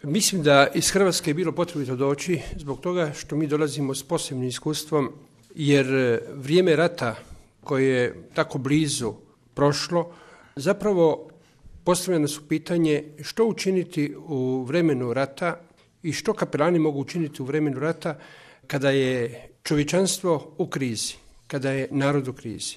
Mislim da iz Hrvatske je bilo potrebito doći zbog toga što mi dolazimo s posebnim iskustvom, jer vrijeme rata koje je tako blizu prošlo, zapravo postavljeno su pitanje što učiniti u vremenu rata i što kapelani mogu učiniti u vremenu rata kada je čovječanstvo u krizi, kada je narod u krizi.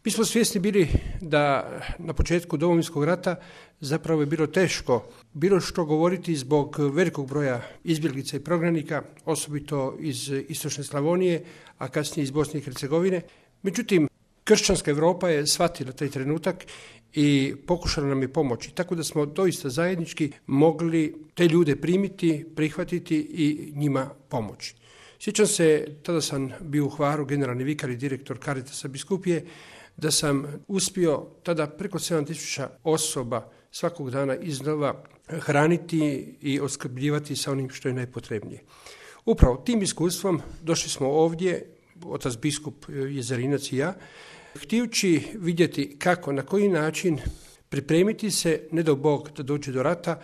Mi smo svjesni bili da na početku Domovinskog rata zapravo je bilo teško bilo što govoriti zbog velikog broja izbjeglica i prognanika, osobito iz istočne Slavonije, a kasnije iz Bosne i Hercegovine. Međutim, kršćanska Europa je shvatila taj trenutak i pokušala nam je pomoći, tako da smo doista zajednički mogli te ljude primiti, prihvatiti i njima pomoći. Sjećam se, tada sam bio u Hvaru, generalni vikar i direktor Caritasa biskupije, da sam uspio tada preko 7.000 osoba svakog dana iznova hraniti i oskrbljivati sa onim što je najpotrebnije. Upravo tim iskustvom došli smo ovdje, otac biskup Jezerinac i ja, htijući vidjeti kako, na koji način pripremiti se, ne dao Bog da dođe do rata,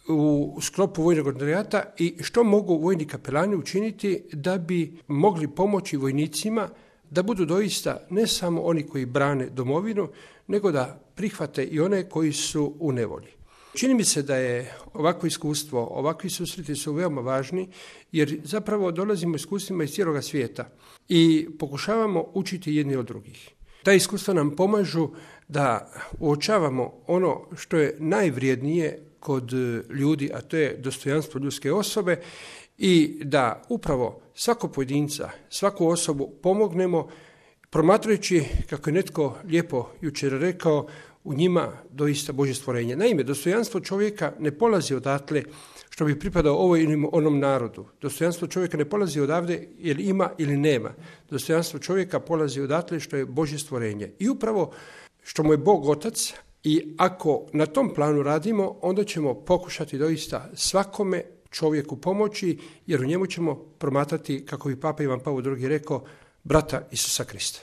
u sklopu vojnog ordinarijata i što mogu vojni kapelani učiniti da bi mogli pomoći vojnicima da budu doista ne samo oni koji brane domovinu, nego da prihvate i one koji su u nevolji. Čini mi se da je ovakvo iskustvo, ovakvi susreti su veoma važni, jer zapravo dolazimo iskustvima iz cijeloga svijeta i pokušavamo učiti jedni od drugih. Ta iskustva nam pomažu da uočavamo ono što je najvrijednije kod ljudi, a to je dostojanstvo ljudske osobe, i da upravo svakog pojedinca, svaku osobu pomognemo promatrajući, kako je netko lijepo jučer rekao, u njima doista Božje stvorenje. Naime, dostojanstvo čovjeka ne polazi odatle što bi pripadao ovoj ili onom narodu. Dostojanstvo čovjeka ne polazi odavde jer ima ili nema. Dostojanstvo čovjeka polazi odatle što je Božje stvorenje. I upravo što mu je Bog Otac, i ako na tom planu radimo, onda ćemo pokušati doista svakome čovjeku pomoći, jer u njemu ćemo promatrati, kako bi Papa Ivan Pavao II rekao, brata Isusa Krista.